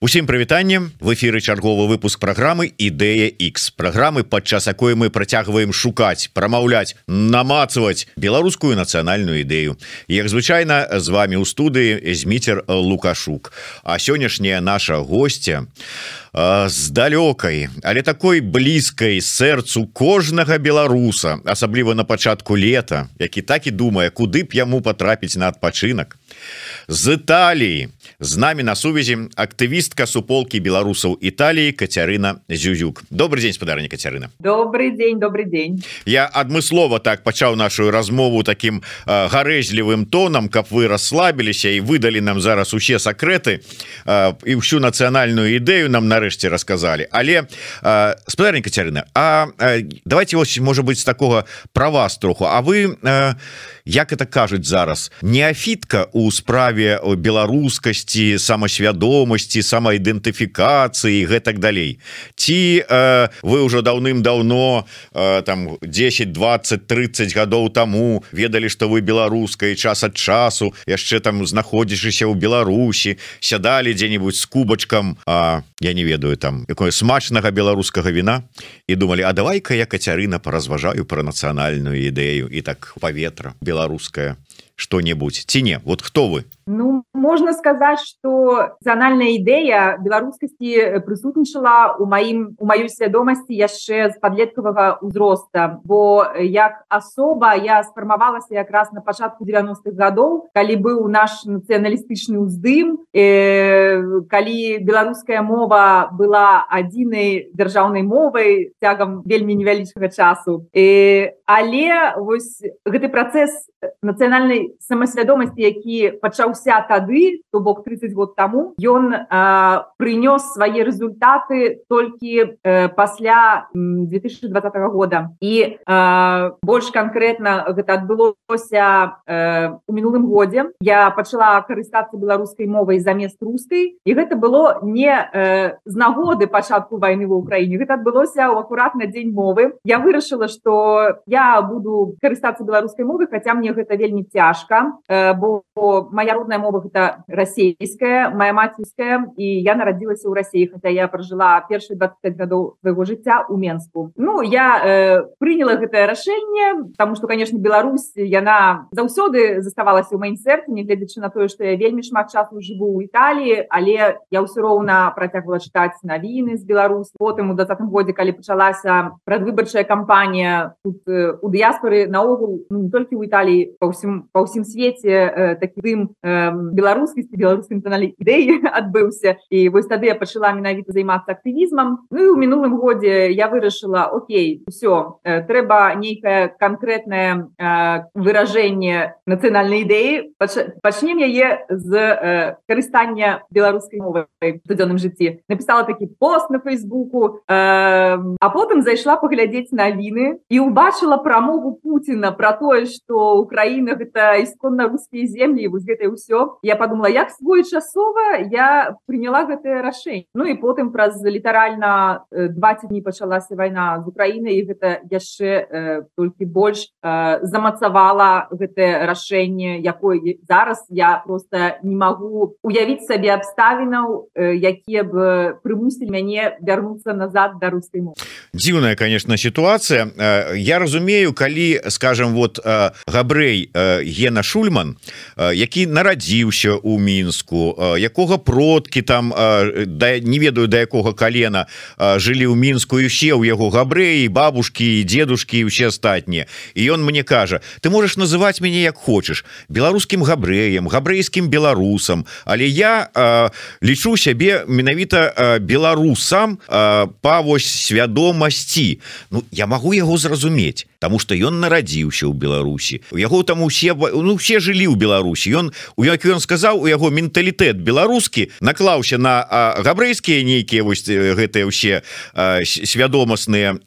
Усім прывітанне, в эфіры чарговы выпуск праграмы Ідэя X, праграмы, падчас якой мы працягваем шукаць, прамаўляць, намацваць беларускую нацыянальную ідэю. Як звычайна, з вами ў студыі Зміцер Лукашук. А сённяшняя наша госця з далёкай, але такой блізкай сэрцу кожнага беларуса, асабліва на пачатку лета, які так і думае, куды б яму патрапіць на адпачынак. З Італіі з намі на сувязі актывістка суполкі беларусаў Італіі Кацярына Зюзюк. Добрый дзень, спадарня Кацярына. Добрый дзень. Я адмыслова так пачаў нашу размову таким гарэзлівым тонам, каб вы расслабіліся і выдалі нам зараз усе сакрэты і ўсю нацыянальную ідэю нам нарэшце расказалі. Але спадарня Кацярына, давайте вось, можа быть, з такога пра вас троху. А вы, як это кажуць зараз, неафітка у справе беларускасці, самасвядомасці, самаідэнтыфікацыі, гэтак далей. Ці вы ўжо даўным-даўно, там 10, 20, 30 гадоў таму ведалі, што вы беларускай, час ад часу яшчэ там знаходзішыся ў Беларусі, сядалі дзе-нибудь з кубачкам, я не ведаю, там якое смачнага беларускага віна і думалі, а давай-ка я, Кацярына, паразважаю пра нацыянальную ідэю і так паветра беларускае что-нибудь. Ці не? Вот кто вы? Ну, можно сказать, что национальная идея беларускасці присутнічала у маёй свядомасці яшчэ з падлеткавага ўзроста, бо як асоба я сфармавалася якраз на пачатку 90-х гадоў, калі быў наш нацыяналістычны ўздым, калі беларуская мова была адзінай дзяржаўнай мовай цягам вельмі невялічкага часу. Але вось гэты працэс нацыянальнай самасвядомасці, які пачаўся тады, то бок 30 год таму, ён прынёс свае результаты толькі пасля 2020 года. І больш канкрэтна гэта адбылося у мінулым годзе. Я пачала карыстацца беларускай мовай замест рускай, і гэта было не з нагоды пачатку вайны ва ўкраіне. Гэта адбылося ў акуратна дзень мовы. Я вырашыла, што я буду карыстацца беларускай мовай, хаця мне гэта вельмі цяжка, бо моя родная мова гэта расейская, моя мацерская, і я нарадзілася ў Расіі, хаця я пражыла першыя 25 гадоў свайго жыцця ў Менску. Ну, я прыняла гэтае рашэнне, таму што, конечно, Беларусь, яна заўсёды заставалася ў маім сэрцы, нягледзячы на тое, што я вельмі шмат часу жыву ў Італіі, але я ўсё роўна працягвала чытаць навіны з Беларусі. Потым у 20-м годзе, калі пачалася прадвыбарчая кампанія тут у дыяспары, наогул, ну, не толькі ў Італіі, па ўсім свеце такі дым беларускасці, беларускай нацыянальнай ідэі адбыўся. І вось тады я пачала менавіта займацца актывізмам. Ну і ў мінулым годзе я вырашыла, окей, усё, трэба нейкае канкрэтнае выражэнне нацыянальнай ідэі. Пачнем яе з карыстання беларускай мовай у штодзённым жыцці. Напісала такі пост на Фейсбуку, а потым зайшла паглядзець навіны і ўбачыла прамову Пуціна пра тое, што Украіна гэта ісконна рускія землі, і вось гэта і ўсё. Я подумала, як своечасова я прыняла гэтае рашэнне. Ну і потым праз літаральна 20 дні пачалася вайна з Украінай, і гэта яшчэ толькі больш замацавала гэтае рашэнне, якое зараз я просто не магу уявіць сабе абставінаў, якія б прымусілі мяне вярнуцца назад да рускай мовы. Дзіўная, конечно, сітуацыя. Я разумею, калі, скажем, вот габрэй Гена Шульман, які нарадзіўся ў Мінску, якога продкі там, не ведаю да якога калена, жылі ў Мінску, і ўсе ў яго габрэі, бабушкі, дзедушкі і ўсе астатнія. І ён мне кажа, ты можаш называць мяне як хочаш, беларускім габрэем, габрэйскім беларусам, але я лічу сябе менавіта беларусам па вось свядомасці. Ну, я магу яго зразумець, таму што ён нарадзіўся ў Беларусі. У яго там усе жылі ў Беларусі. Як ён сказаў, у яго менталітэт беларускі наклаўся на габрэйскія нейкія вось гэтыя ўсе свядомасныя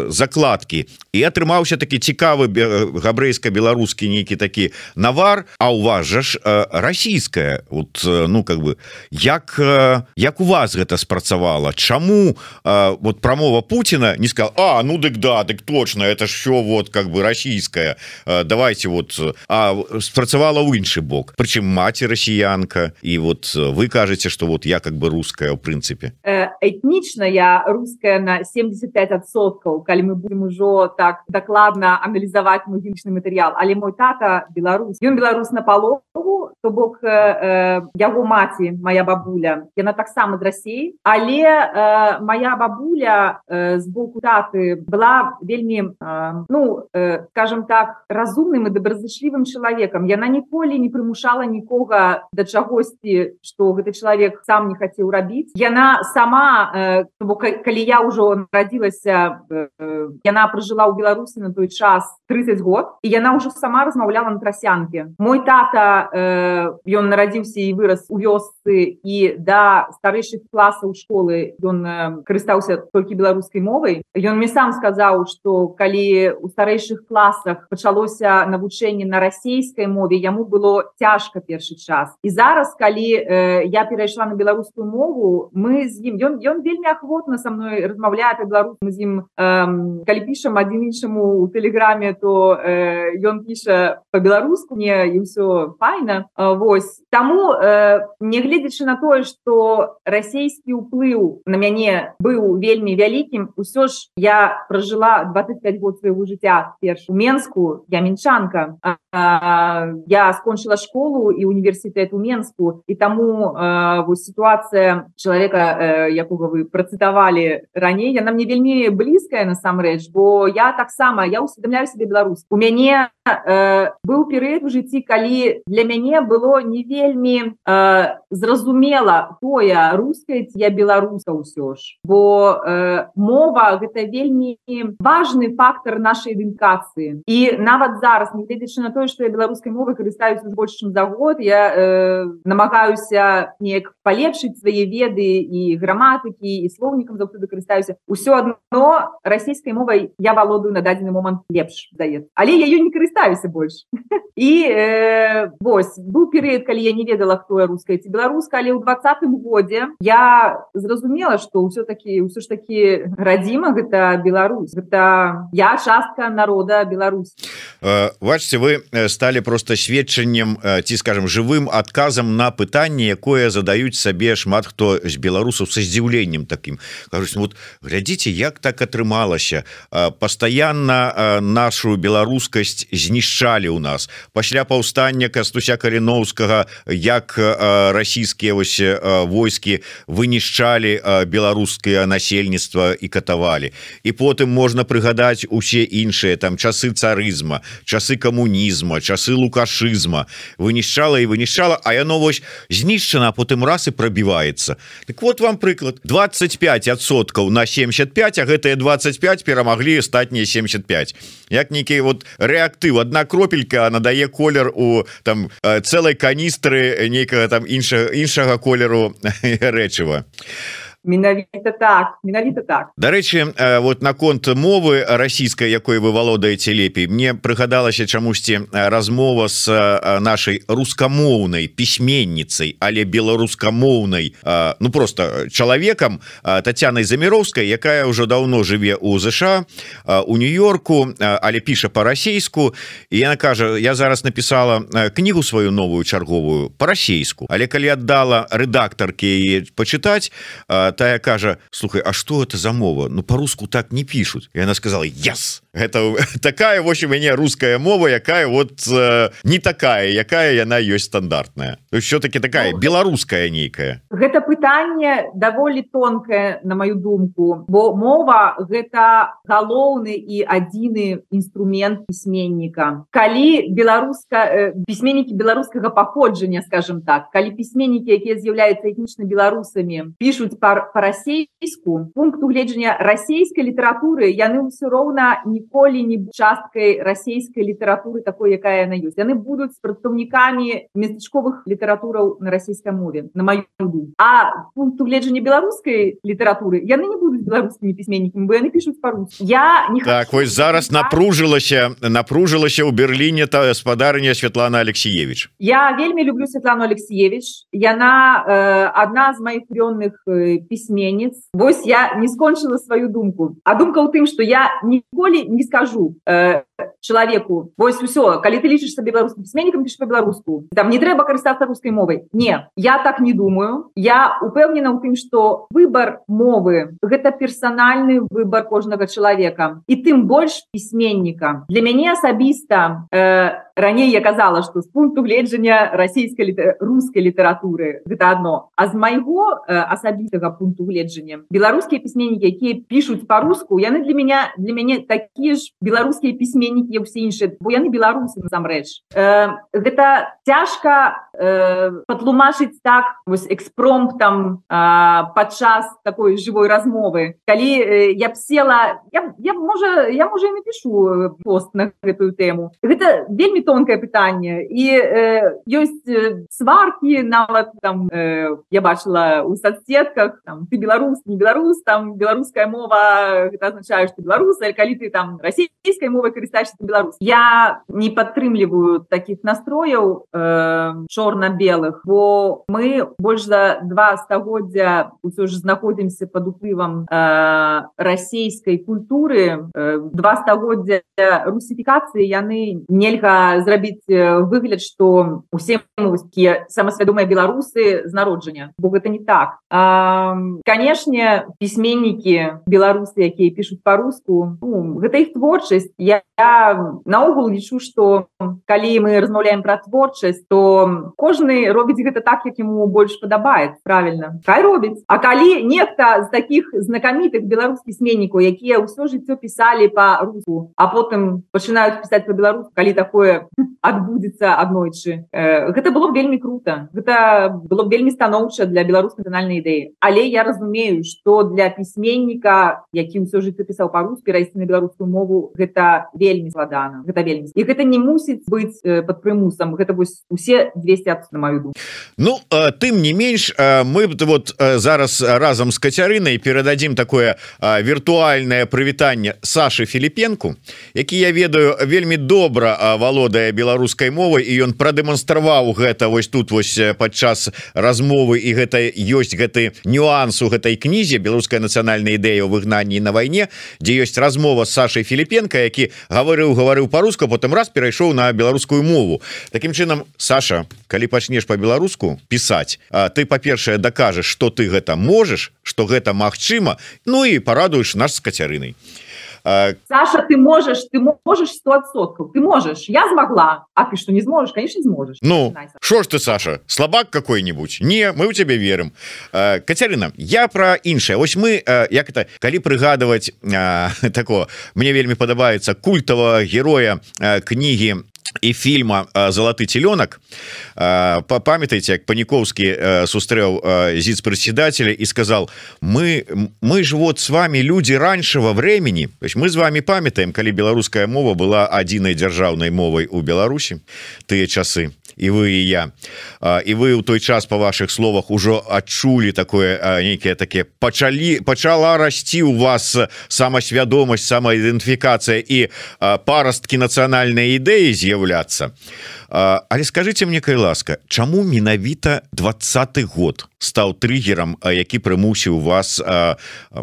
закладкі. І і атрымаўся такі цікавы габрэйска-беларускі нейкі такі навар. А у вас жа ж расійская, вот, ну как бы як у вас гэта спрацавала? Чаму вот прамова Путина не сказал: а ну дык да, дык точно, это ж все вот как бы расійская, давайте вот, а спрацавала ў іншы бок, прычым маці расіянка, і вот вы кажаце, что вот я как бы русская в прынцыпе. Этнічна я русская на 75%, калі мы будем ужо так дакладна аналізаваць мой генетычны матэрыял, але мой тата беларус, ён беларус на палову, то бок яго маці, моя бабуля, яна таксама з Расіі, але моя бабуля з боку таты была вельмі, ну, скажем так, разумным і добразычлівым чалавекам. Яна ніколі не прымушала нікога да чагосьці, што гэты чалавек сам не хацеў рабіць. Яна сама, калі я ўжо нарадзілася, яна пражыла ў Беларусі на той час 30 год, і яна ўжо сама размаўляла на трасянке. Мой тата, ён нарадзіўся і вырас у вёсцы, і да старэйшых класаў школы ён карыстаўся толькі беларускай мовай. Ён мне сам сказаў, што калі у старэйшых класах пачалося навучанне на расійскай мове, яму было цяжка першы час. І зараз, калі я перайшла на беларускую мову, мы з ім, ён вельмі ахвотна са мной размаўляе па-беларуску. Мы з ім, калі пішам адзін іншаму ў тэлеграме, то ён піша па-беларуску мне, і ўсё файна. Вось. Таму, нягледзячы на тое, што расійскі ўплыў на мяне быў вельмі вялікім, усё ж я пражыла 25 год свайго жыцця перш у Менску, я мінчанка. Я скончыла школу і універсітэт у Менску, і таму вось сітуацыя чалавека, якога вы працытавалі раней, яна мне вельмі блізкая насамрэч, бо я таксама, я усведамляю сябе беларус. У мяне быў перыяд у жыцці, калі для мяне было не вельмі зразумела тое, руская ці я беларуска ўсё ж. Бо мова — гэта вельмі важны фактор нашай ідэнтыфікацыі. І нават зараз, нягледзячы на тое, што я беларускай мовай карыстаюся больш чым за год, я намагаюся неяк палепшыць свае веды і граматыкі, і слоўнікам заўсёды карыстаюся. Усё адно расійскай мовай я валодаю на дадзены момант лепш, здаецца. Але я ёй не карыстаюся больш. І вось, быў перыяд, калі я не ведала, хто я руская ці беларуска, але ў 20-м годзе я зразумела, што ўсё ж такі радзіма — гэта Беларусь. Гэта я частка народа Беларусь. Бачце, вы сталі просто сведчаннем ці, скажем, жывым адказам на пытанне, якое задаюць сабе шмат хто з беларусаў са здзіўленнем такім. Кажуць, вот глядзіце, як так атрымалася. Пастаянна нашу беларускасць знішчалі ў нас. Пасля паўстання Кастуся Каліноўскага, як расійскія войскі вынішчалі беларускае насельніцтва і катавалі. І потым можна прыгадаць усе іншыя там часы царызма, часы камунізма, часы лукашызма. Вынішчала і вынішчала, а яно вось знішчана, а потым раз і прабіваецца. Так вот вам прыклад. 25% на 75, а гэтыя 25 перамаглі астатнія 75. Як нейкі вот рэактыў, адна кропелька надае колер у там цэлай каністры нейкага там іншага колеру рэчыва. Менавіта так. Дарэчы, вот наконт мовы расійскай, якой вы валодаеце лепей, мне прыгадалася чамусьці размова з нашай рускамоўнай пісьменніцай, але беларускамоўнай, ну просто чалавекам, Тацянай Заміроўскай, якая ўжо даўно жыве ў ЗША, у Нью-Йорку, але піша па-расейску, і яна кажа: я зараз напісала кнігу сваю новую чарговую па-расейску, але калі аддала рэдактарке яе пачытаць, тая кажа: слухай, а что это за мова? Ну по-руску так не пишут. И она сказала: yes, это такая, в общем, у меня русская мова, якая вот не такая, якая яна ёсць стандартная. То есть все-таки такая беларуская нейкая. Гэта пытанне даволі тонкае, на мою думку, бо мова — гэта галоўны і адзіны інструмент пісьменніка. Калі пісьменнікі беларускага паходжання, скажем так, калі пісьменнікі, якія з'яўляюцца этнічна беларусамі, пішуць па па-расейску, пункту гледжання расійскай літаратуры, яны ўсё роўна ніколі не будуць часткай расійскай літаратуры такой, якая яна ёсць. Яны будуць прадстаўнікамі местачковых літаратураў на расійскай мове, на маю думку. А пункту гледжання беларускай літаратуры яны не будуць беларускімі пісьменнікамі, бо яны пішуць па-руску. Я не так, вось зараз напружылася ў Берліне та спадарня Святлана Алексеевич. Я вельмі люблю Святлану Алексеевич. Яна одна з моих улюбленых письменниц. Вось я не скончила свою думку. А думка ў тым, что я ніколі не скажу человеку: вось усё, калі ты лічышся беларускім пісьменнікам, піш по-беларуску. Там не трэба карыстацца рускай мовай. Не, я так не думаю. Я упэўнена ў тым, что выбор мовы — гэта персональны выбор кожнага человека. І тым больш пісьменніка. Для мяне асабіста раней я казала, что з пункту гледжання рускай літаратуры гэта одно. А з майго асабістага пункту гледжання беларускія пісьменнікі, якія пішуць па-руску, яны для мяне такія ж беларускія пісьменнікі, як усе іншыя, бо яны беларусы насамрэч. Гэта цяжка патлумачыць так вось экспромтам падчас такой жывой размовы. Калі я б села, я можа і напишу пост на гэтую тэму. Гэта вельмі тонкае пытанне. І ёсць сваркі нават там, я бачыла у соцсетках, там, ты беларус, не беларус, там беларуская мова, гэта азначае, што беларус, а калі ты там расійскай мовай карыстаешся, ты беларус. Я не падтрымліваю такіх настрояў чорна-белых, бо мы больш за 2 стагоддзя ўсё ж знаходзімся пад уплывам расійскай культуры. 2 стагоддзя русіфікацыі, яны нельга зрабіць выгляд, што усе такія самасвядомыя беларусы з народжання, бо гэта не так. Канешне, пісьменнікі беларусы, якія пішуць па-руску, гэта іх творчасць. Я наогул лічу, што калі мы размаўляем пра творчасць, то кожны робіць гэта так, як яму больш падабаецца, правільна. Хай робіць. А калі нехта з такіх знакамітых беларускіх пісьменнікаў, якія ўсё жыццё пісалі па-руску, а потым пачынаюць пісаць па-беларуску, калі такое адбудзецца аднойчы, гэта было б вельмі круто. Гэта было б вельмі станоўча для беларускай нацыянальнай ідэі. Але я разумею, што для пісьменніка, які ўсё жыццё пісаў па-руску, перайсці на беларускую мову, гэта вельмі складана. Гэта вельмі. І гэта не мусіць быць пад прымусам. Гэта вось усе 200, на маю думку. Ну, тым не менш, мы вот зараз разам з Кацярынай перададзім такое віртуальнае прывітанне Сашы Філіпенку, які, я ведаю, вельмі добра валодае беларускай мовай, і ён прадэманстраваў гэта вось тут вось падчас размовы, і гэта ёсць гэты нюанс у гэтай кнізе «Беларуская нацыянальная ідэя ў выгнанні на вайне», дзе ёсць размова з Сашай Філіпенка, які гаварыў па-руску, потым раз перайшоў на беларускую мову. Такім чынам, Саша, калі пачнеш па-беларуску пісаць, ты, па-першае, дакажаш, што ты гэта можаш, што гэта магчыма, ну і парадуеш нас з Кацярынай. Саша, ты можешь 100%. Ты можешь. Я смогла. А ты что, не сможешь? Конечно, не сможешь. Ну, что ж ты, Саша, слабак какой-нибудь? Не, мы у тебя верим. Кацярына, я про іншае. Ось мы, як это, калі прыгадываць такого, мне вельмі падабаецца культавага героя кнігі і фільма «Залаты теленок». Памятаеце, як Паніковскі сустрэў зіц-председателя и сказал: мы ж вот с вами люди раньшего времени, то есть мы с вами памятаем, калі беларуская мова была адзінай дзяржаўнай мовай у Беларусі тыя часы, і вы і я, і вы ў той час, по ваших словах, ужо адчулі такое нейкае таке, пачала расці у вас самасвядомасць, самаідэнтыфікацыя і парасткі нацыянальнай ідэі з'яўляцца. Але скажите мне, кай ласка, чаму менавіта 20-й год стаў триггером, які прымусіў вас,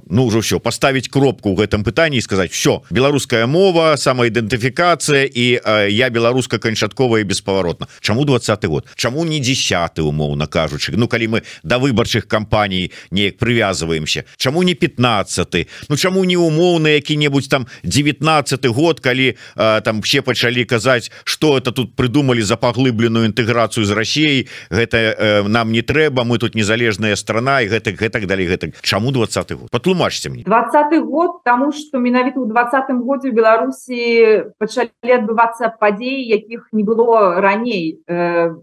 ну ўжо все, поставить кропку ў гэтым пытанні і сказать: все, беларуская мова, самаідэнтыфікацыя, і я беларуска канчаткова і беспаваротна. Чаму 20-й год? Чаму не 10-й, умоўна кажучы? Ну, калі мы да выбарчых кампаній неяк прывязваемся, чаму не 15-й? Ну, чаму не умоўна які-небудзь там 19-й год, калі там все пачалі казаць, что это тут придумали увогуле за паглыбленую інтэграцыю з Расіяй, гэта нам не трэба, мы тут незалежная страна і гэтак далей. Чаму 20-й год? Патлумачце мне. 20-й год, таму што менавіта ў 20-м годзе ў Беларусі пачалі адбывацца падзеі, якіх не было раней.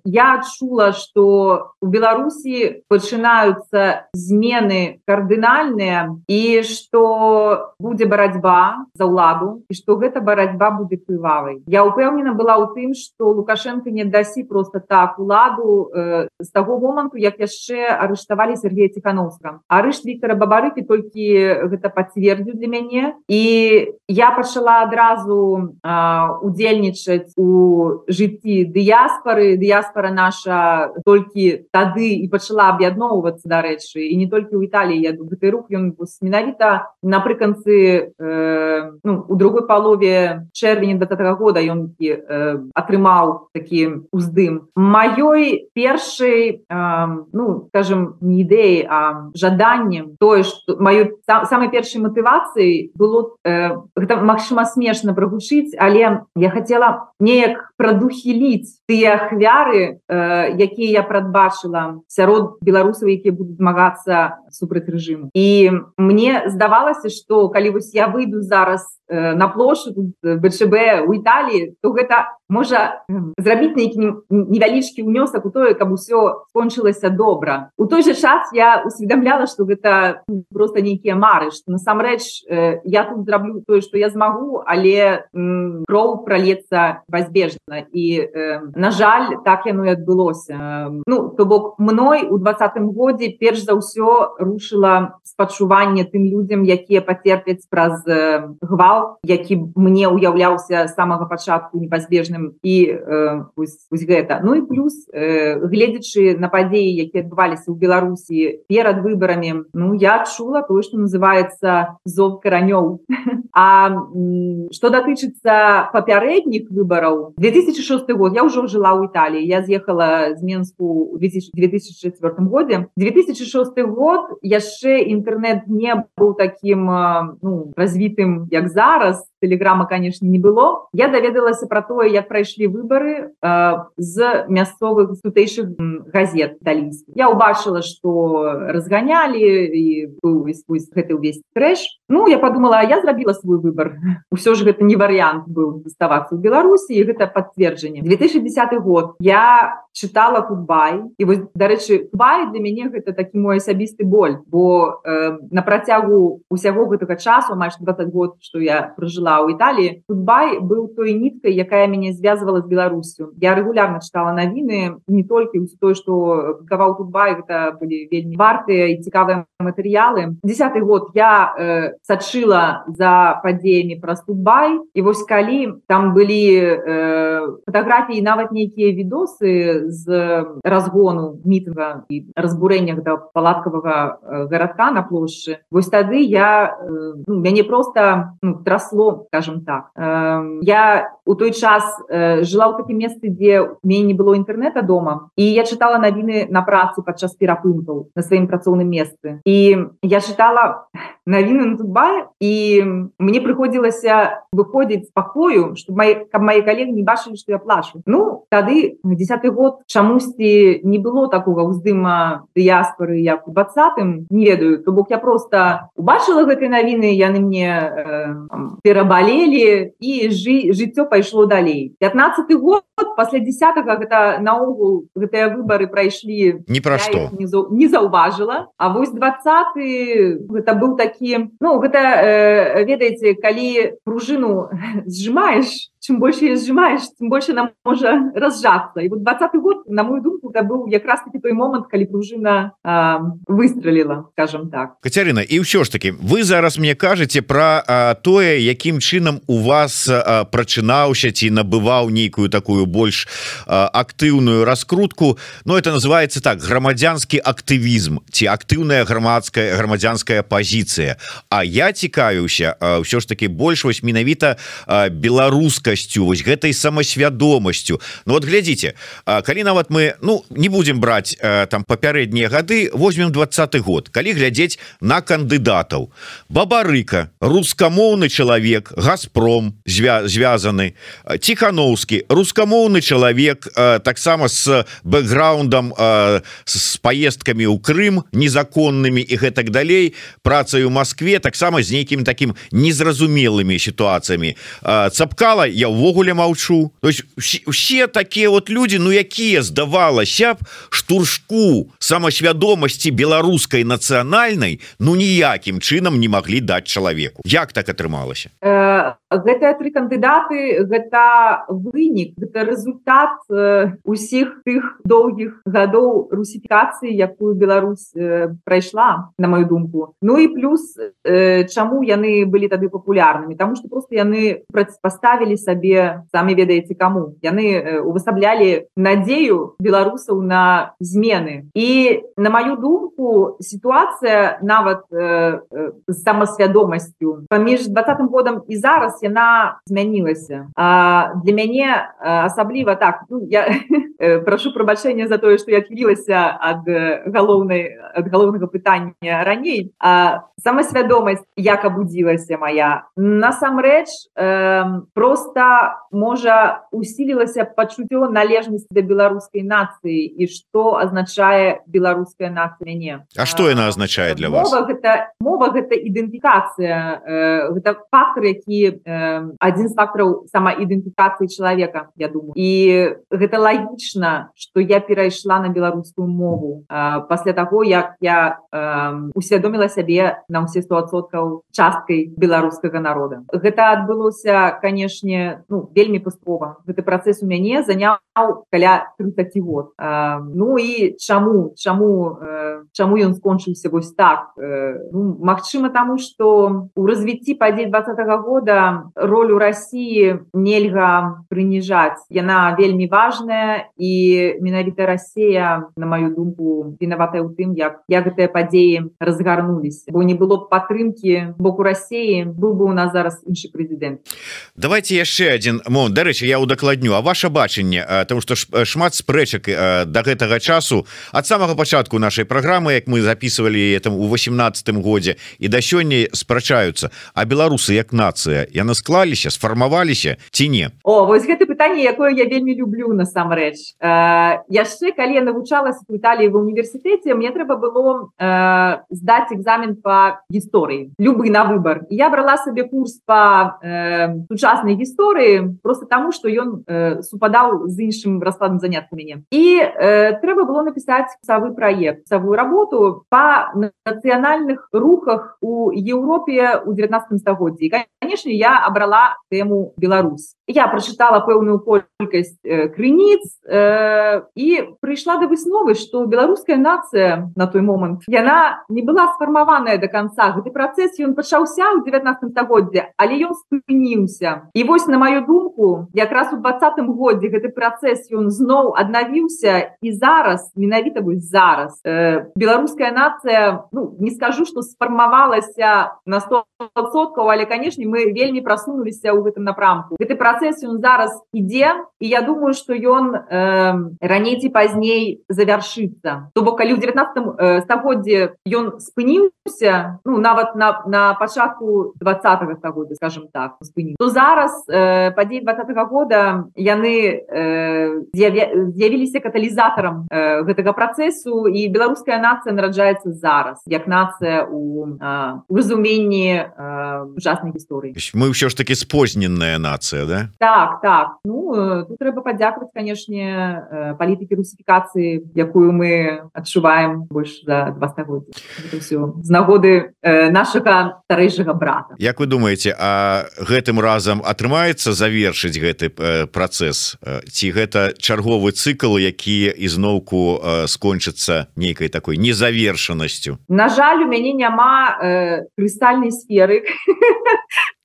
Я адчула, што у Беларусі пачынаюцца змены кардынальныя і што будзе барацьба за ўладу і што гэта барацьба будзе крывавай. Я ўпэўнена была ў тым, што Лукашенко не дасі просто так уладу з таго моманту, як яшчэ арыштавалі Сергея Ціхановскага. Арышт Віктора Бабарыкі толькі гэта пацвердзіў для мяне, і я пачала адразу удзельнічаць у жыцці дыяспары. Дыяспара наша толькі тады і пачала аб'ядноўвацца, дарэчы, і не толькі ў Італіі. Гэты рух, ён менавіта напрыканцы у другой палове чэрвеня 20-го года ён атрымаў такі уздым. Маёй першай, скажем, не ідэі, а жаданнем, тое, што маёй самай першай матывацыяй было, гэта магчыма смешна прагучыць, але я хацела неяк прадухіліць тыя ахвяры, якія я прадбачыла сярод беларусаў, якія будуць змагацца супраць рэжыму. І мне здавалася, што калі вось я выйду зараз на плошчу БЧБ у Італіі, то гэта можа зрабіць нейкі невялічкі ўнёсак у тое, каб усё скончылася добра. У той жа час я усведамляла, што гэта проста нейкія мары, што насамрэч я тут зраблю тое, што я змагу, але кроў пралецца пазбежна. І, на жаль, так яно і адбылося. То бок, мной у 20-м годзе перш за ўсё рушыла спачуванне тым людзям, якія пацерпяць праз гвалт, які мне уяўляўся з самага пачатку непазбежным, і вось гэта. Ну і плюс, гледзячы на падзеі, якія адбываліся ў Беларусі перад выбарамі, я адчула тое, што называецца зов каранёў. А што датычыцца папярэдніх выбараў, 2006 год, я ўжо жыла ў Італіі, я з'ехала з Менску ў 2004 годзе. 2006 год яшчэ інтэрнэт не быў такім развітым, як зараз, тэлеграма, канешне, не было. Я даведалася пра тое, як прайшлі выбары з мясцовых тутэйшых газет італійскіх. Я ўбачыла, што разганялі, і быў гэты ўвесь трэш. Я подумала, я зрабіла свой выбар. Усё ж гэта не варыянт быў заставацца ў Беларусі, і гэта пацверджанне. 2010 год я чытала Тутбай, і вось, дарэчы, Тутбай для мяне гэта такі мой асабісты боль, бо на працягу усяго гэтага часу, амаль 20 год, што я пражыла ў Італіі, Тутбай быў той ніткай, якая мяне звязвала з Беларусю. Я рэгулярна чытала навіны, не толькі тое, што публікаваў Тутбай, гэта былі вельмі вартыя і цікавыя матэрыялы. 10-й год я сачыла за падзеямі праз Тутбай, і вось калі там былі фатаграфіі, нават нейкія відосы з разгону мітынга і разбурэння да палаткавага гарадка на плошчы, вось тады мяне проста трасло, скажем так. Я у той час жыла ў такім месцы, дзе у мяне не было інтэрнэта дома, і я чытала навіны на працы падчас перапынкаў на сваім працоўным месцы. І я чытала навіны на Тутбай, і мне прыходзілася выходзіць з пакою, каб мае калегі не бачылі, што я плачу. Тады, 10-й год, чамусьці не было такога ўздыма дыяспары, як у 20-м, не ведаю. То бок я проста убачыла гэтыя навіны, яны мне перабалелі, і жыццё пайшло далей. 15-й год, пасля 10-го, гэта наогул, гэтыя выбары прайшлі, ні пра што. Не заўважыла. А вось 20-й, гэта быў такі, гэта, ведаеце, калі пружыну зжимаеш, чым больше ее сжимаешь, тем больше она может разжаться. И вот 20-й год, на мою думку, это был как раз-таки той момент, когда пружина выстрелила, скажем так. Катерина, и все ж таки, вы зараз мне кажете про тое, яким чином у вас прачынаўся ці набываў нейкую такую больш актыўную раскрутку, но это называется так, грамадзянскі актывізм ці актыўная грамадзянская пазіцыя. А я цікавіўся ўсё ж таки больш вось менавіта беларускай беларускасцю, вось гэтай самасвядомасцю. Ну вот глядзіце, калі нават мы не будем браць там папярэднія гады, возьмем 20-й год, калі глядзець на кандыдатаў: Бабарыка, рускамоўны чалавек, Газпром звязаны, Ціхановскі, рускамоўны чалавек, таксама с бэкграундам, с поездкамі ў Крым незаконнымі і гэтак далей, працай у Москве, таксама з нейкімі таким незразумелымі сітуацыямі. Цапкала я ўвогуле маўчу. То есть усе такія вот люди, якія, здавалася б, штуршку самасвядомасці беларускай нацыянальнай ніякім чынам не маглі даць чалавеку. Як так атрымалася? Гэтыя тры кандыдаты, гэта вынік, гэта результат усіх тых доўгіх гадоў русіфікацыі, якую Беларусь прайшла, на мою думку. Ну і плюс, чаму яны былі тады папулярнымі? Таму што просто яны паставілі сабе, самі ведаеце каму. Яны увасаблялі надзею беларусаў на змены. І на маю думку, сітуацыя нават з самасвядомасцю паміж 20-м годам і зараз яна змянілася. Для мяне асабліва так, я прашу прабачэння за тое, што я адхілілася ад галоўнага пытання раней. Самасвядомасць як абудзілася моя? Насамрэч, просто, можа, усілілася пачуццё належнасці да беларускай нацыі і што азначае беларуская нацыя мяне. А што яна азначае для вас? Мова гэта ідэнтыфікацыя, гэта фактор, які адзін з фактараў самаідэнтыфікацыі чалавека, я думаю. І гэта лагічна, што я перайшла на беларускую мову пасля таго, як я усвядоміла сябе на ўсе 100% часткай беларускага народа. Гэта адбылося, канешне, вельмі паступова. Гэты працэс у мяне заняў каля 30 год. Ну і чаму ён скончыўся вось так? Магчыма, таму, што у развіцці падзей 20-го года ролю России нельга прыніжаць. Яна вельмі важная, і менавіта Россия, на мою думку, вінаватая ў тым, як гэтыя падзеі разгарнуліся. Бо не было б падтрымкі боку России, быў бы у нас зараз іншы прэзідэнт. Давайте яшчэ адзін момент. Дарэчы, я удакладню. А ваше бачанне, тому што шмат спрэчак да гэтага часу, ад самага пачатку нашай праграмы, як мы записывалі там у 18-м годзе, і да сёння спрачаюцца: а беларусы як нацыя, яны склаліся, сфармаваліся ці не? Вось гэта пытанне, якое я вельмі люблю насамрэч. Яшчэ калі я навучалася в Італіі ва універсітэце, мне трэба было здаць экзамен по гісторыі, любы на выбор. І я брала сабе курс по сучаснай гісторыі просто таму, што ён супадаў з іншым раскладам занятку мяне. І трэба было напісаць курсавы праект, курсавую работу по нацыянальных рухах у Еўропе ў 19 стагоддзі. І, канешне, я абрала тэму Беларусь. Я прачытала пэўную колькасць крыніц і прыйшла да высновы, што беларуская нацыя на той момант, яна не была сфармаваная до конца. Гэты працэс, ён пачаўся ў 19 стагоддзе, але ён спыніўся. І вось, на маю думку, якраз у 20-м годзе гэты працэс, ён зноў аднавіўся, і зараз, менавіта вось зараз, беларуская нацыя, не скажу, што сфармавалася на 100%, але, канешне, мы вельмі прасунуліся ў гэтым напрамку. Гэты працэс, ён зараз ідзе, і я думаю, што ён раней ці пазней завяршыцца. То бок, калі ў 19 стагоддзе ён спыніўся, нават на пачатку 20-го стагоддзя, скажем так, спыніў, то зараз падзеі 20-го года яны з'явіліся каталізатарам гэтага працэсу, і беларуская нацыя нараджаецца зараз, як нацыя у разуменні сучаснай гісторыі. Мы ўсё ж таки спозненная нацыя, да? Так. Тут трэба падзякаваць, канешне, палітыкі русіфікацыі, якую мы адчуваем больш за 2 стагоддзі. Гэта ўсё з нагоды нашага старэйшага брата. Як вы думаеце, а гэтым разам атрымаецца завершыць гэты працэс? Ці гэта чарговы цыкл, які ізноўку скончыцца нейкай такой незавершанасцю? На жаль, у мяне няма крыстальнай сферы,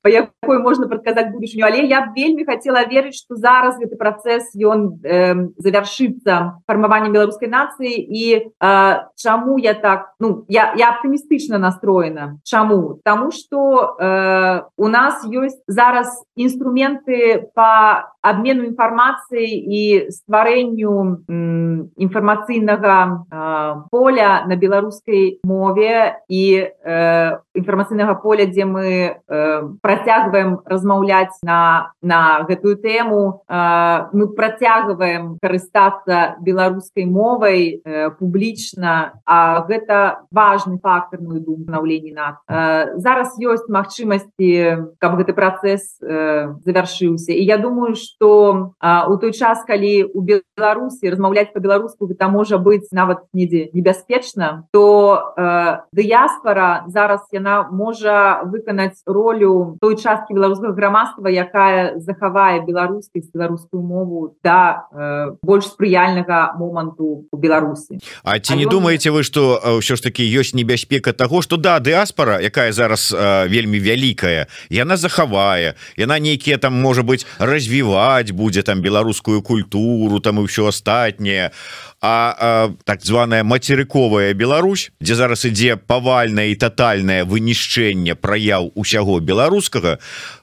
па якой можна прадказаць будучыню, але я вельмі хацела верыць, што зараз гэты працэс ён завяршыцца фармаваннем беларускай нацыі. І чаму я так, я аптымістычна настроена. Чаму? Таму што у нас ёсць зараз інструменты па абмену інфармацыі і стварэнню інфармацыйнага поля на беларускай мове і інфармацыйнага поля, дзе мы працягваем размаўляць на гэтую тэму, мы працягваем карыстацца беларускай мовай публічна, а гэта важны фактор, мой думаю, станаўлення нацыі. Зараз ёсць магчымасці, каб гэты працэс завяршыўся. І я думаю, што у той час, калі у Беларусі размаўляць па-беларуску гэта можа быць нават недзе небяспечна, то дыяспара зараз яна можа выканаць ролю той часткі беларускага грамадства, якая захавае беларускасць, беларускую мову да больш спрыяльнага моманту у Беларусі. А ці не думаеце вы, што ўсё ж таки ёсць небяспека таго, што дыяспара, якая зараз вельмі вялікая, яна захавае, яна нейкія там, можа быць, развіваць будзе там беларускую культуру там і ўсё астатняе, а так званая мацерыковая Беларусь, дзе зараз ідзе павальнае і татальнае вынішчэнне праяў усяго беларускага,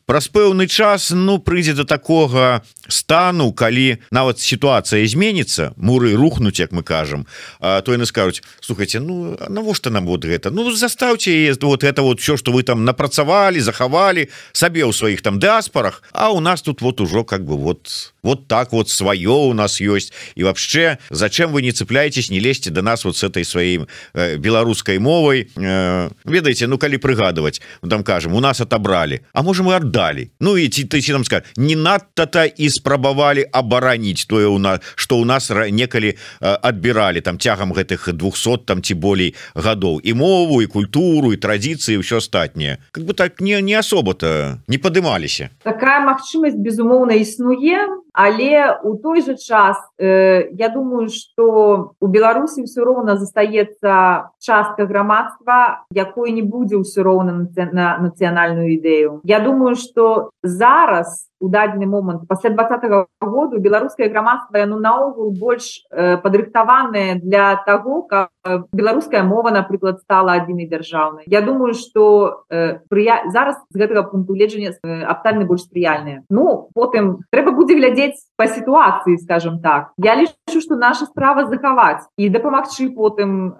праз пэўны час прыйдзе до такога стану, калі нават сітуацыя зменіцца, муры рухнуць, як мы кажам, то яны скажуць: слухайте, навошта нам вот гэта, заставьте вот это вот все, что вы там напрацавалі, захавалі сабе ў сваіх там дыаспорах, а у нас тут вот ужо как бы вот так вот свое у нас есть, и вообще зачем вы не цепляетесь, не лезьте до нас вот с этой своей беларускай мовой, ведаеце, калі прыгадывать, там кажем, у нас отобрали, а можем и отдали, и ты нам скажешь, не надто-то и спрабавалі абараніць тое, что у нас некалі адбіралі там цягам гэтых 200 там ці болей гадоў і мову, і культуру, і традыцыі, ўсё астатняе, как бы так не особо-то не падымаліся. Такая магчымасць безумоўна існуе, але у той же час я думаю, что у Беларусі ўсё роўна застаецца частка грамадства, якой не будзе ўсё роўна на нацыянальную ідэю. Я думаю, что зараз у дадзены момант пасля 2020 году беларускае грамадства яно наогул больш падрыхтаванае для таго, каб беларуская мова, напрыклад, стала адзінай дзяржаўнай. Я думаю, что зараз з гэтага пункту гледжання абставіны больш спрыяльныя. Потым трэба будзе глядзець па сітуацыі, скажем так. Я лічу, што наша справа захаваць і дапамагчы потым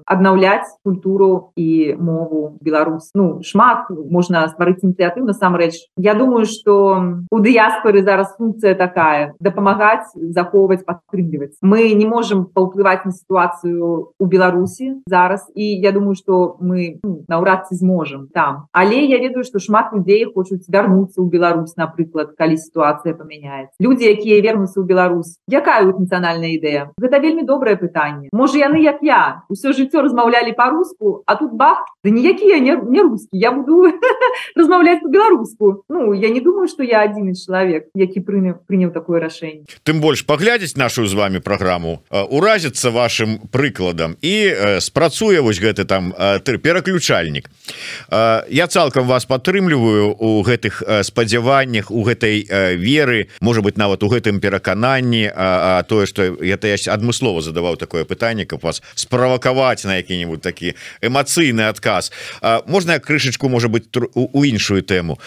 аднаўляць культуру і мову Беларусь. Шмат можна стварыць ініцыятыў, насамрэч. Я думаю, што у дыяспоры зараз функцыя такая — дапамагаць, захоўваць, падтрымліваць. Мы не можам паўплываць на сітуацыю у Беларусі зараз, і я думаю, што мы наўрад ці зможам там. Але я ведаю, што шмат людзей хочуць вярнуцца ў Беларусь, напрыклад, калі сітуацыя памяняецца. Людзі, якія вернуцца ў Беларусь, якая ў іх нацыянальная ідэя? Гэта вельмі добрае пытанне. Можа, яны, як я, усё жыццё размаўлялі па-руску, а тут бах, да ніякі я не рускі, я буду размаўляць па-беларуску. Я не думаю, што я адзіны чалавек, які прыняў такое рашэнне. Тым больш паглядзець нашу з вами праграму, уразіцца вашим прыкладам і спрацуе вось гэты там пераключальнік. Я цалкам вас падтрымліваю у гэтых спадзяваннях, у гэтай веры, можа быть, нават у гэтым перакананні, а тое, што я адмыслова задаваў такое пытанне, каб вас справакаваць на які-нибудь такі эмацыйны адказ. Можна крышачку, можа быть, у іншую тэму.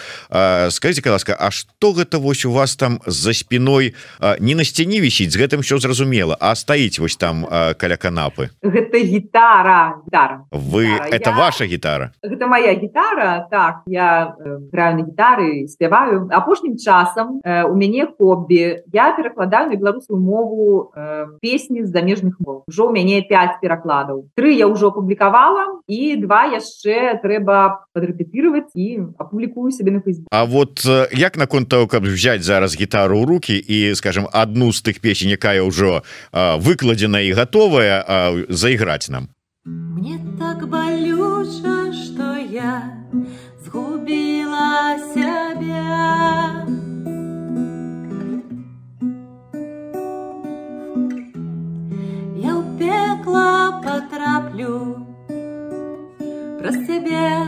Скажите, ласка, а што гэта вось у вас там за спиной не на сцяне вісіць, з гэтым все зразумела, а стаіць вось там каля канапы? Гэта гітара. Это ваша гітара? Гэта моя гітара, так, я граю на гітары, спяваю. Апошнім часам у мяне хобі, я перакладаю на беларускую мову песні з замежных мов. Ужо у мяне 5 перакладаў. 3 я ўжо апублікавала, і 2 яшчэ трэба падрэпетыраваць і апублікую сабе на Фейсбук. А вот як наконт того, каб взять зараз гітару ў руки і, скажем, одну з тых песень, якая ўжо выкладзена і готовая, заіграць нам? Мне так балюча, што я згубіла сябе. Я ў пекла патраплю праз цябе.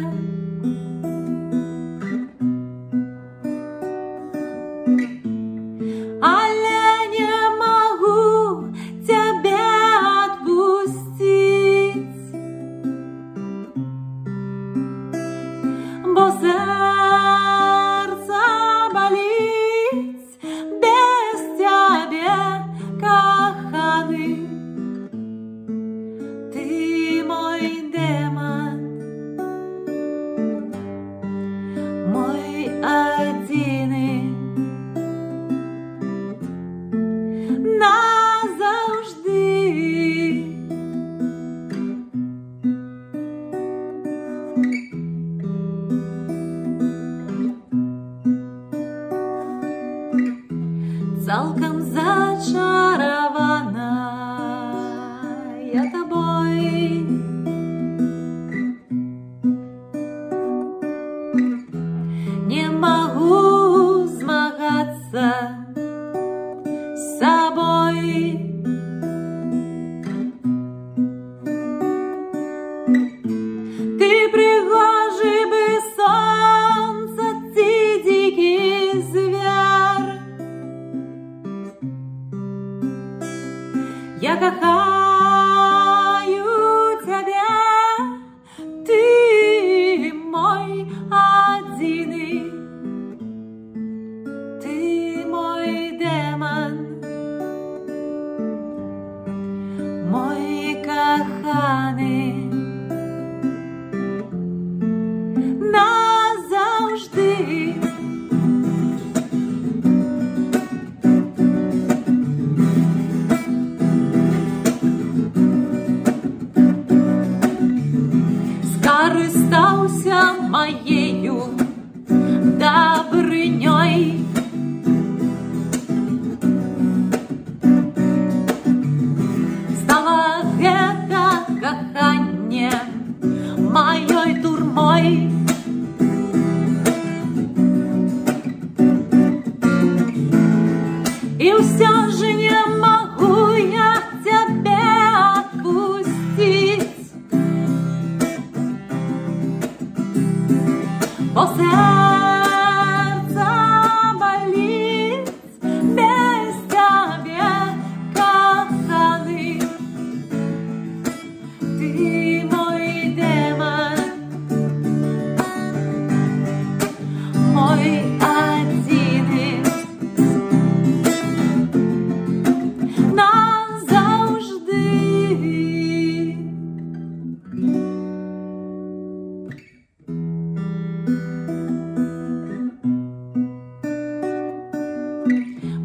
моею добрынёй. Стала гэта каханне маёй турмой. И все же не могу я тебя отпустить, бо сердце болит без тебя, коханый. Ты мой демон, мой один назавжди.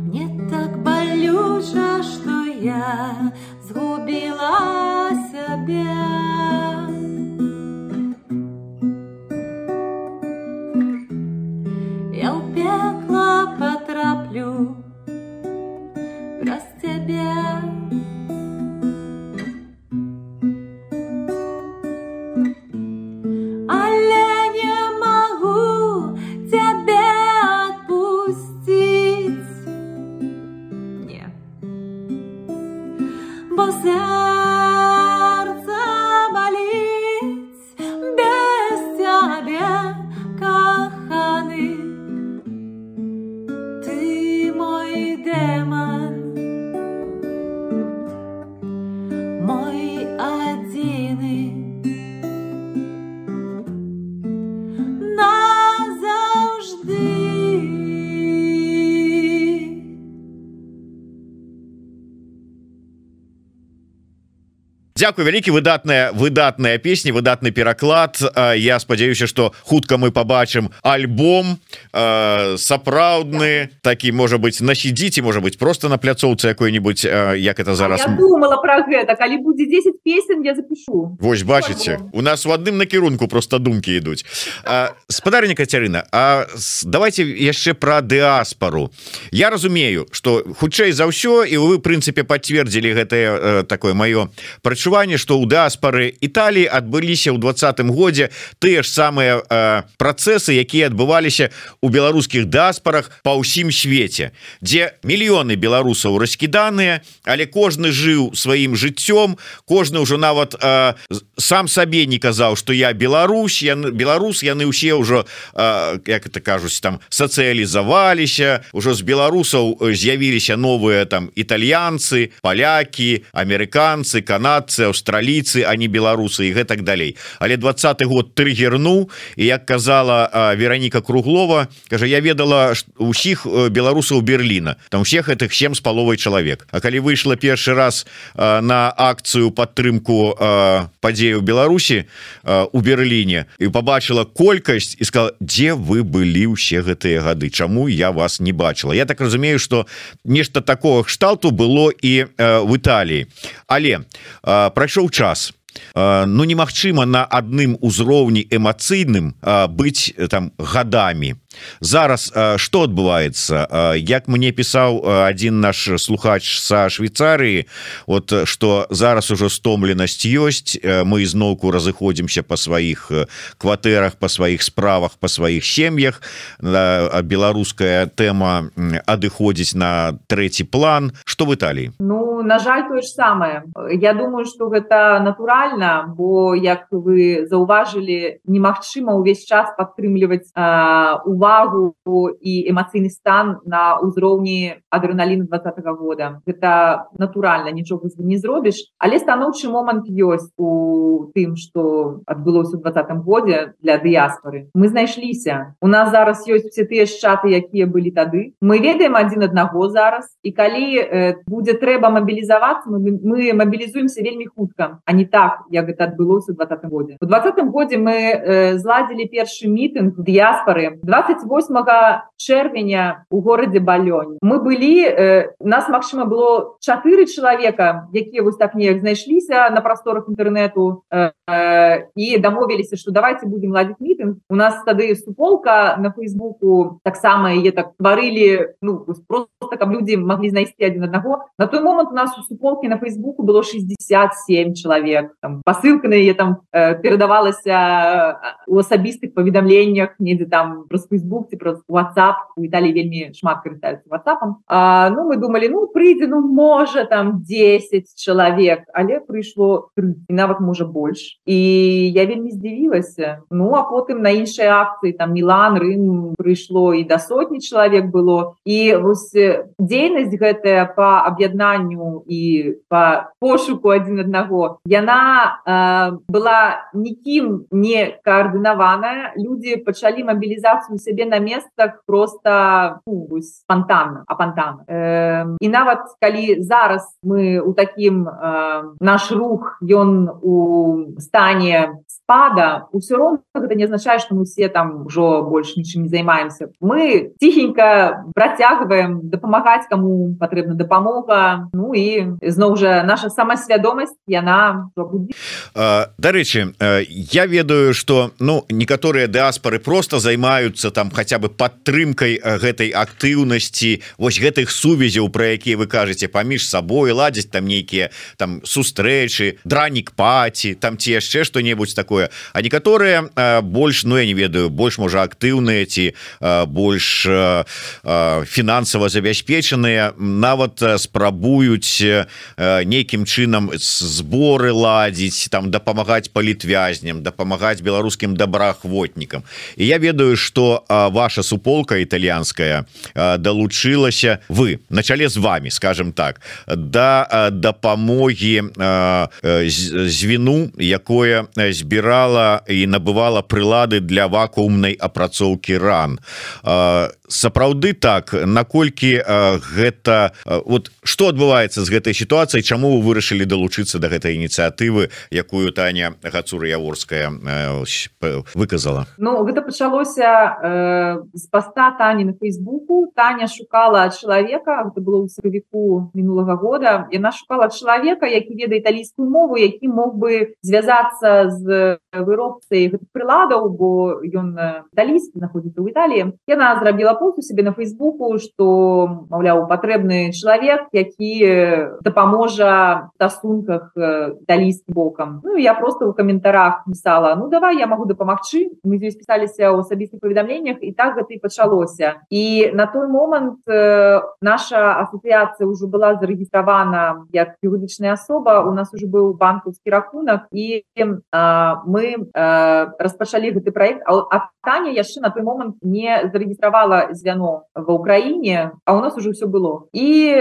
Мне так болюче, что я згубила себя. Я в пекло потраплю раз тебя. Але не могу тебя отпустить. Не. Бо сердце болит без тебя, коханый. Ты мой демон, мой один назавжди. Дзякуй вялікі, выдатная песня, выдатны пераклад. Я спадзяюся, што хутка мы пабачым альбом сапраўдны, такі, можа быць, на CD, можа быць, просто на пляцоўцы якой-нибудь, як это зараз. Я думала про гэта, калі будзе 10 песен, я запишу. Вось, бачыце, у нас у адным накірунку просто думкі ідуць. Спадарня Кацярына, давайте яшчэ пра дыаспару. Я разумею, што хутчэй за ўсё, і вы, в прынцыпе, пацвердзілі гэтае такое маё прачуванне, што ў дыаспары Італіі адбыліся ў 20-м годзе тыя ж самыя працэсы, якія адбываліся у беларускіх дыаспарах па ўсім свеце, дзе мільёны беларусаў раскіданыя, але кожны жыў сваім жыццём, кожны ўжо нават сам сабе не казаў, што я беларус, яны ўсе ўжо, як это кажуць, там сацыялізаваліся, ўжо з беларусаў з'явіліся новыя там італьянцы, палякі, амерыканцы, канадцы, аўстралійцы, а не беларусы і гэтак далей. Але 20-й год трыгернуў, і як казала Вераніка Круглова, кажа, я ведала усіх беларусаў Берліна, там всех гэтых 7,5 чалавек. А калі выйшла першы раз на акцыю падтрымку падзеяў Беларусі у Берліне і побачила колькасць і сказала, дзе вы былі ўсе гэтыя гады, чаму я вас не бачила. Я так разумею, што нешта такого кшталту было і в Італіі. Але прайшоў час. Ну немагчыма на адным узроўні эмацыйным быць там гадамі. Зараз што адбываецца? Як мне пісаў адзін наш слухач са Швейцарыі, вот што зараз ужо стомленасць ёсць, мы ізноўку разыходзімся па сваіх кватэрах, па сваіх справах, па сваіх сем'ях, беларуская тэма адыходзіць на трэці план. Што в Італіі? Ну, на жаль, тое ж самае. Я думаю, што гэта натуральна, бо, як вы заўважылі, немагчыма ўвесь час падтрымліваць увагу і эмацыйны стан на ўзроўні адрэналіну 20-го года. Гэта натуральна, нічога не зробіш, але станоўчы момант ёсць у тым, што адбылося ў 20-м годзе для дыяспары. Мы знайшліся. У нас зараз ёсць все тыя ж чаты, якія былі тады. Мы ведаем адзін аднаго зараз, і калі будзе трэба мабілізавацца, мы мабілізуемся вельмі хутка, а не так, як гэта адбылося ў 20-м годзе. У 20-м годзе мы зладзілі першы мітынг дыяспары. 20 28 чэрвеня у горадзе Балёнь мы былі, нас магчыма было 4 чалавека, якія вось так неяк знайшліся на прасторах інтэрнэту і дамовіліся, што давайте будем ладзіць мітынг. У нас тады суполка на Фейсбуку таксама яе так стварылі, ну, просто каб людзі маглі знайсці адзін аднаго. На той момант у нас у суполкі на Фейсбуку было 67 чалавек. Там пасылка на яе там перадавалася у асабістых паведамленнях, недзе там праз Фейсбук ці праз WhatsApp. У Італіі вельмі шмат карыстаюцца WhatsApp-ам. Ну, мы думалі, ну, прыйдзе, ну, можа, там 10 чалавек, але прыйшло 3, і нават, можа, больш. І я вельмі здзівілася. Ну, а потым на іншыя акцыі, там, Мілан, Рым, прыйшло і да 100 чалавек было. І вось дзейнасць гэтая па аб'яднанню і па пошуку адзін аднаго, яна была нікім не каардынаваная. Людзі пачалі мабілізацыю сябе на месцах просто, ну, спонтанна, апантанна. І нават калі зараз мы у такім, наш рух, ён у стане спада, усё роўна гэта не азначае, што мы все там ужо больш нічым не займаемся. Мы ціхенька працягваем дапамагаць, каму патрэбна дапамога. Ну і зноў жа наша самасвядомасць, яна будзе. Дарэчы, я ведаю, што, ну, некаторыя дыаспары просто займаюцца там хаця бы падтрымкай гэтай актыўнасці, вось гэтых сувязяў, пра якія вы кажаце, паміж сабой ладзяць там нейкія там сустрэчы, дранік-паці, там ці яшчэ што-небудзь такое. А некаторыя больш, ну, я не ведаю, больш, можа, актыўныя ці больш фінансава забяспечаныя, нават спрабуюць нейкім чынам зборы ладзіць, там дапамагаць палітвязням, дапамагаць беларускім добраахвотнікам. І я ведаю, што ваша суполка італьянская далучылася, вы, на чале з вами, скажем так, да дапамогі звіну, якое збірала і набывала прылады для вакуумнай апрацоўкі ран. Сапраўды так, наколькі гэта, вот што адбываецца з гэтай сітуацыяй, чаму вы вырашылі далучыцца да гэтай ініцыятывы, якую Таня Гацура-Яворская выказала? Ну, гэта пачалося з паста Тані на Фейсбуку. Таня шукала чалавека, гэта было ў сакавіку мінулага года, яна шукала чалавека, які ведае італійскую мову, які мог бы звязацца з выробцай гэтых прыладаў, бо ён італійскі, знаходзіцца ў Італіі. Яна зрабіла пост у себе на Фейсбуку, што, маўляў, патрэбны чалавек, які дапаможа в стасунках італійскім бокам. Ну, я просто ў каментарах пісала, ну, давай, я магу дапамагчы. Мы здесь пісаліся ў асабістых паведамленнях, і так гэта і пачалося. І на той момант наша асацыяцыя ўжо была зарэгістравана як юрыдычная асоба, у нас уже быў банкаўскі рахунак, і мы распачалі гэты праект, а Таня яшчэ на той момант не зарэгістравала звяно ва Ўкраіне, а у нас уже все было. І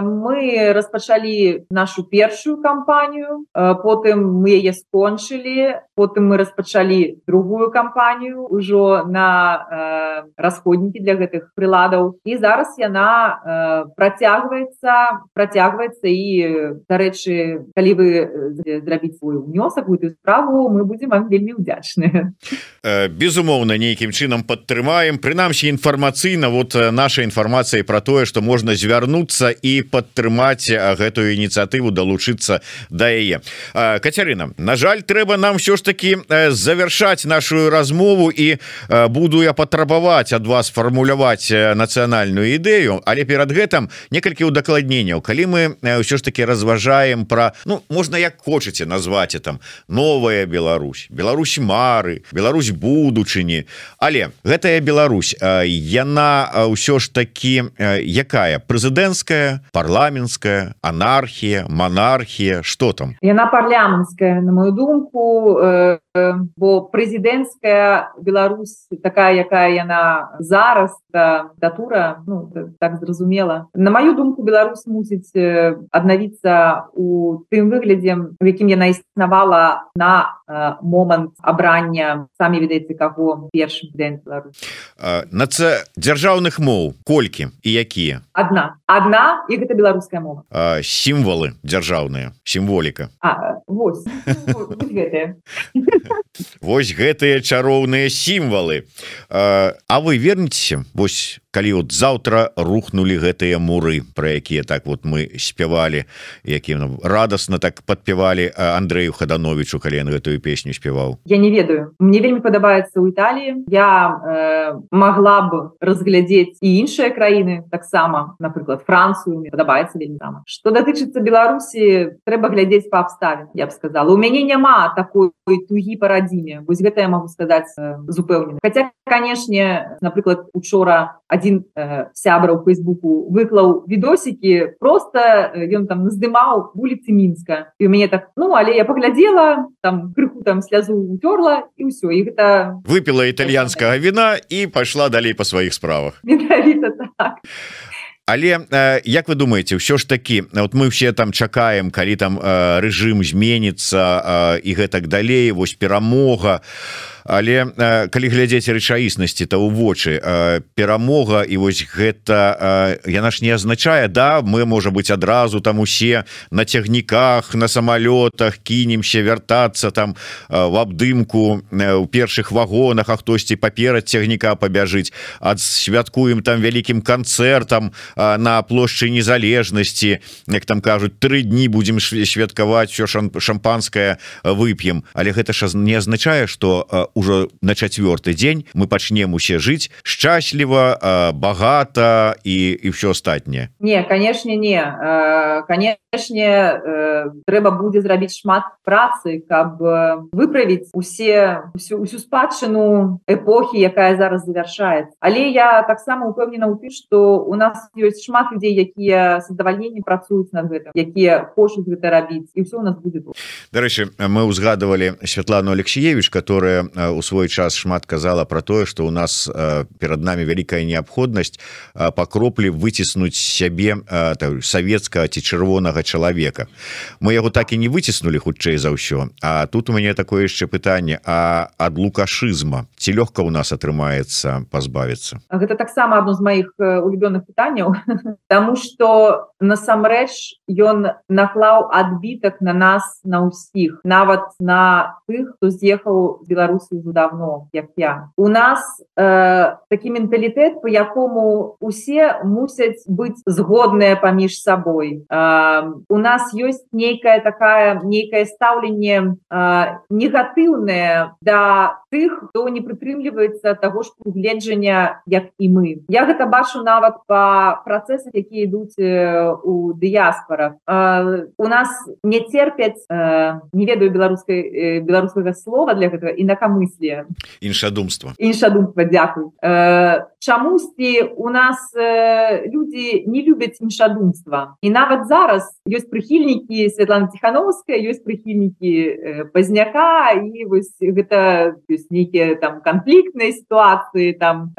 мы распачалі нашу першую кампанію, потым мы яе скончылі, потым мы распачалі другую кампанію ўжо на расходнікі для гэтых прыладаў. І зараз яна працягваецца і, дарэчы, калі вы зрабіць свой унёсак у гэтую справу, мы будзем вам вельмі ўдзячныя. Безумоўна, нейкім чынам падтрымаем, прынамсі інфармацыйна, вот наша інфармацыя пра тое, што можна звярнуцца і падтрымаць гэтую ініцыятыву, далучыцца да яе. Кацярына, на жаль, трэба нам ўсё ж таки завяршаць нашу размову, і буду я патрабаваць ад вас фармуляваць нацыянальную ідэю, але перад гэтым некалькі удакладненняў. Калі мы ўсё ж таки разважаем пра, ну, можна як хочаце назваць там новая Беларусь, Беларусь мары, Беларусь будучыні, але гэтая Беларусь, яна ўсё ж таки якая? Прэзідэнцкая, парламенцкая, анархія, монархія, што там? Яна парламенцкая, на мою думку, бо прэзідэнцкая Беларусь такая, якая яна зараз, датура, ну, так зразумела. На мою думку, Беларусь мусіць аднавіцца у тым выглядзе, у якім яна існавала на момант абрання, самі ведаеце каго, першым прэзідэнтам Беларусі. Дзяржаўных моў колькі і якія? Адна, і гэта беларуская мова. Сімвалы дзяржаўныя, сімволіка. Вось гэтыя. Вось гэтыя чароўныя сімвалы. А вы вернецеся, вось калі от заўтра рухнули гэтыя муры, пра якія так вот мы спявалі, якія радасна так падпявалі Андрэю Хадановичу, калі ён гэтую песню спяваў? Я не ведаю. Мне вельмі падабаецца ў Італіі. Я магла б разглядзець і іншыя краіны таксама, напрыклад, Францыю, мне падабаецца вельмі там. Што датычыцца Беларусі, трэба глядзець па абставінах, я б сказала. У мяне няма такой тугі па радзіме. Вось гэта я магу сказаць з упэўненасцю. Хаця, канешне, напрыклад, учора адзін сябра ў Фейсбуку выклаў відосікі, просто ён там наздымаў вуліцы Мінска. І у мяне так, але я паглядзела, там крыху там слязу уцёрла і ўсё. І гэта выпіла італьянскага віна і пайшла далей па сваіх справах. Менавіта так. Але як вы думаеце, ўсё ж такі, вот мы все там чакаем, калі там рэжым зменіцца і гэтак далей, вось перамога. Але калі глядзець рэчаіснасці, то ў вочы перамога і вось гэта яна ж не азначае, да, мы можа быць адразу там усе на цягніках, на самалётах кінемся вяртацца там в абдымку у першых вагонах, а хтосьці паперад цягніка пабяжыць, адсвяткуем там вялікім канцэртам на плошчы Незалежнасці, як там кажуць, 3 дні будзем святкаваць, все шампанское вып'ем. Але гэта ж не азначае, што уже на 4-й дзень мы пачнем усе жыць шчасліва, багата і ўсё астатняе. Не, канешне, не. Канешне, трэба будзе зрабіць шмат працы, каб выправіць усю спадчыну эпохі, якая зараз завяршаецца. Але я таксама упэўнена ў тым, што у нас ёсць шмат людзей, якія з задавальненнем працуюць над гэтым, якія хочуць гэта рабіць, і ўсё у нас будзе тут. Дарэчы, мы ўзгадывалі Святлану Алексеевич, которая у свой час шмат казала про тое, что у нас перад нами вялікая неабходнасць па кроплі выціснуць сябе савецкага ці чырвонага чалавека. Мы яго так і не выціснули, хутчэй за ўсё. А тут у мяне такое яшчэ пытанне, а ад лукашызма ці лёгка у нас атрымаецца пазбавіцца? Гэта таксама адно з маіх улюбёных пытанняў, таму што насамрэч ён наклаў адбітак на нас, на ўсіх, нават на тых, хто з'ехаў з Беларусі ўжо давно, як я. У нас такі менталітэт, по якому усе мусяць быць згодныя паміж сабой. У нас ёсць нейкае стаўленне негатыўнае да тых, хто не прытрымліваецца таго ж пагледжання, як і мы. Я гэта бачу нават па працэсах, якія ідуць у дыяспарах. У нас не церпяць, не ведаю беларускага слова для гэтага, інакамыслія. Іншадумства, дзякуй. Чамусьці у нас людзі не любяць іншадумства. І нават зараз ёсць прыхільнікі Святланы Ціхановскай, ёсць прыхільнікі Пазняка, і вось гэта ёсць нейкія там канфліктныя сітуацыі там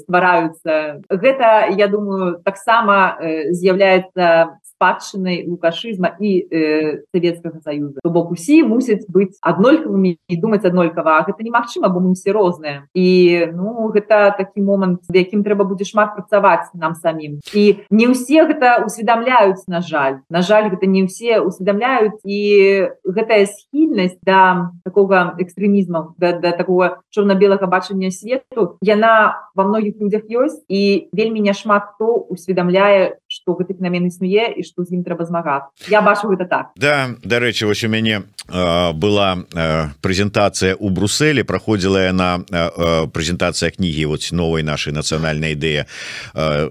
ствараюцца. Гэта, я думаю, таксама з'яўляецца спадчынай лукашызма і Савецкага Саюза. То бок усе мусяць быць аднолькавымі і думаць аднолькава, а гэта немагчыма, бо мы ўсе розныя. І гэта такі момант, з якім трэба будзе шмат працаваць нам самім. І не ўсе гэта усведамляюць, на жаль. На жаль, гэта не ўсе усведамляюць, і гэтая схільнасць да такога экстрэмізму, да такога чорна-белага бачання свету, яна ва многіх людзях ёсць, і вельмі няшмат хто усведамляе, што гэты феномен існуе і што з ім трэба змагацца. Я бачу гэта так. Да, дарэчы, вось у мяне была прэзентацыя ў Брусэлі, праходзіла яна прэзентацыя кнігі вот новай нашай нацыянальнай ідэі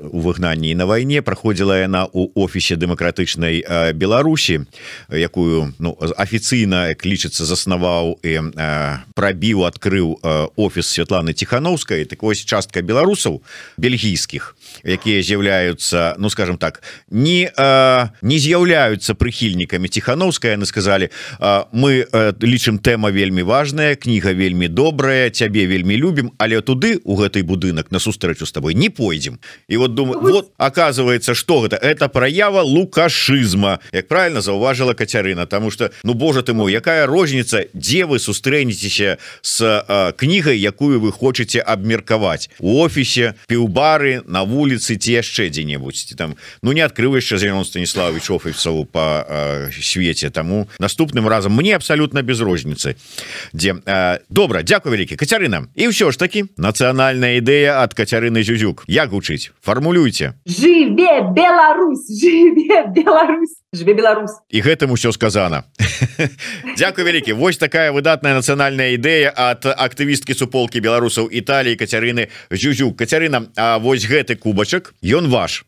у выгнанні і на вайне, праходзіла яна ў офісе дэмакратычнай Беларусі, якую афіцыйна, як лічыцца, заснаваў і прабіў, адкрыў офіс Святланы Ціхановскай. Так вось частка беларусаў бельгійскіх якія з'яўляюцца, ну скажем так, не з'яўляюцца прыхільнікамі Ціхановскай. Яны сказалі: мы лічым, тэма вельмі важная, кніга вельмі добрая, цябе вельмі любім, але туды, у гэтай будынак, на сустрэчу з табой не пойдзем. І вот думаю, вот оказывается, что это праява лукашызма, як правильно заўважила Кацярына, потому что, ну боже ты мой, якая розніца, дзе вы сустрэнецеся с кнігай, якую вы хочаце абмеркаваць: у офісе, піўбары, на вуліцы ці яшчэ дзе-небудзь там. Ну не адкрыў яшчэ Зенон Станіславович офісаў по свеце, таму наступным разам мне абсолютно без розніцы дзе. Добра, дзякуй вялікі, Кацярына. І ўсё ж таки нацыянальная ідэя ад Кацярыны Зюзюк як гучыць? Фармулюйце. Жыве Беларусь, жыве Беларусь, жыве Беларусь. І гэтым усё сказано. Дзякуй вялікі. Вось такая выдатная нацыянальная ідэя ад актывісткі суполкі беларусаў Італіі Кацярыны Зюзюк. Кацярына, а вось гэты кубачак, ён ваш.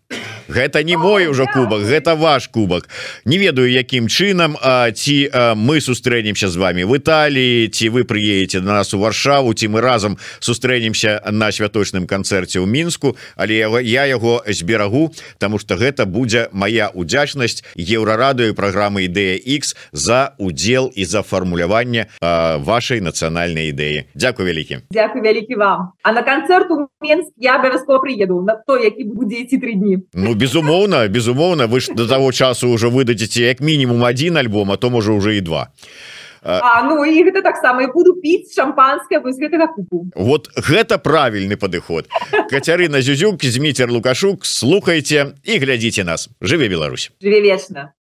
Гэта не мой ужо кубак, гэта ваш кубак. Не ведаю, якім чынам, ці мы сустрэнемся з вами в Італіі, ці вы прыедзеце на нас у Варшаву, ці мы разам сустрэнемся на святочным канцэрце ў Мінску, але я яго зберагу, таму што гэта будзе моя удзячнасць Еўрарадыё і праграмы Ідэя X за удзел і за фармуляванне вашай нацыянальнай ідэі. Дзякуй вялікі. Дзякуй вялікі вам. А на канцэрт у Мінск я абавязкова прыеду, на той, які будзе ісці 3 дні. Ну, безумоўна, вы ж до того часу уже выдадзеце як мінімум 1 альбом, а то можа уже і 2. Ну і гэта таксама, і буду піць шампанскае вось гэтага купу. Вот гэта правільны падыход. Кацярына Зюзюк, Зміцер Лукашук, слухайце і глядзіце нас. Жыве Беларусь. Жыве вечна.